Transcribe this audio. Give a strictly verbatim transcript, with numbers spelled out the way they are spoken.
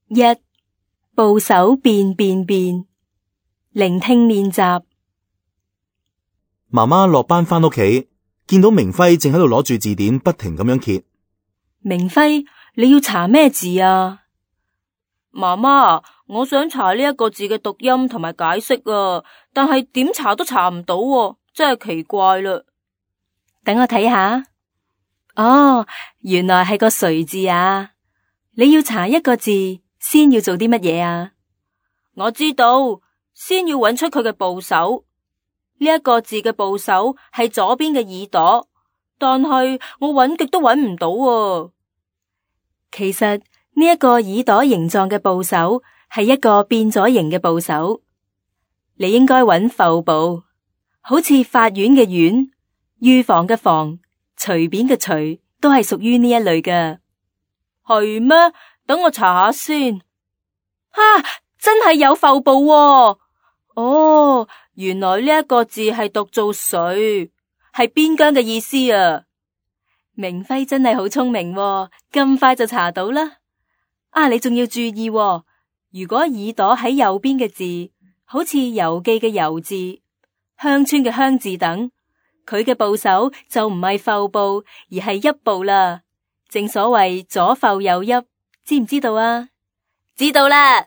一、部首變變變，聆聽練習。媽媽落班返屋企，見到明輝正喺度攞住字典，不停咁樣揭。明輝，你要查咩字啊？媽媽，我想查呢一個字嘅讀音同埋解釋啊，但係點查都查唔到喎，真係奇怪啦。等我睇下。哦，原來係個誰字啊！你要查一個字，先要做啲乜嘢啊？我知道，先要揾出佢嘅部首。呢一個字嘅部首係左邊嘅耳朵，但係我揾極都揾唔到啊。其實呢一個耳朵形狀嘅部首係一個變咗形嘅部首，你應該揾阜部，好似法院嘅院、預防嘅防、隨便嘅隨，都係屬於呢一類嘅。係咩？等我查下先。啊，真係有阜部喎。哦，原來呢一個字係讀做水，係邊疆嘅意思啊。明輝真係好聰明喎，咁快就查到啦。啊，你仲要注意喎，如果耳朵喺右邊嘅字，好似郵寄嘅郵字、鄉村嘅鄉字等，佢嘅部首就唔係阜部，而係邑部啦。正所謂左阜右邑，知唔知道啊？知道啦。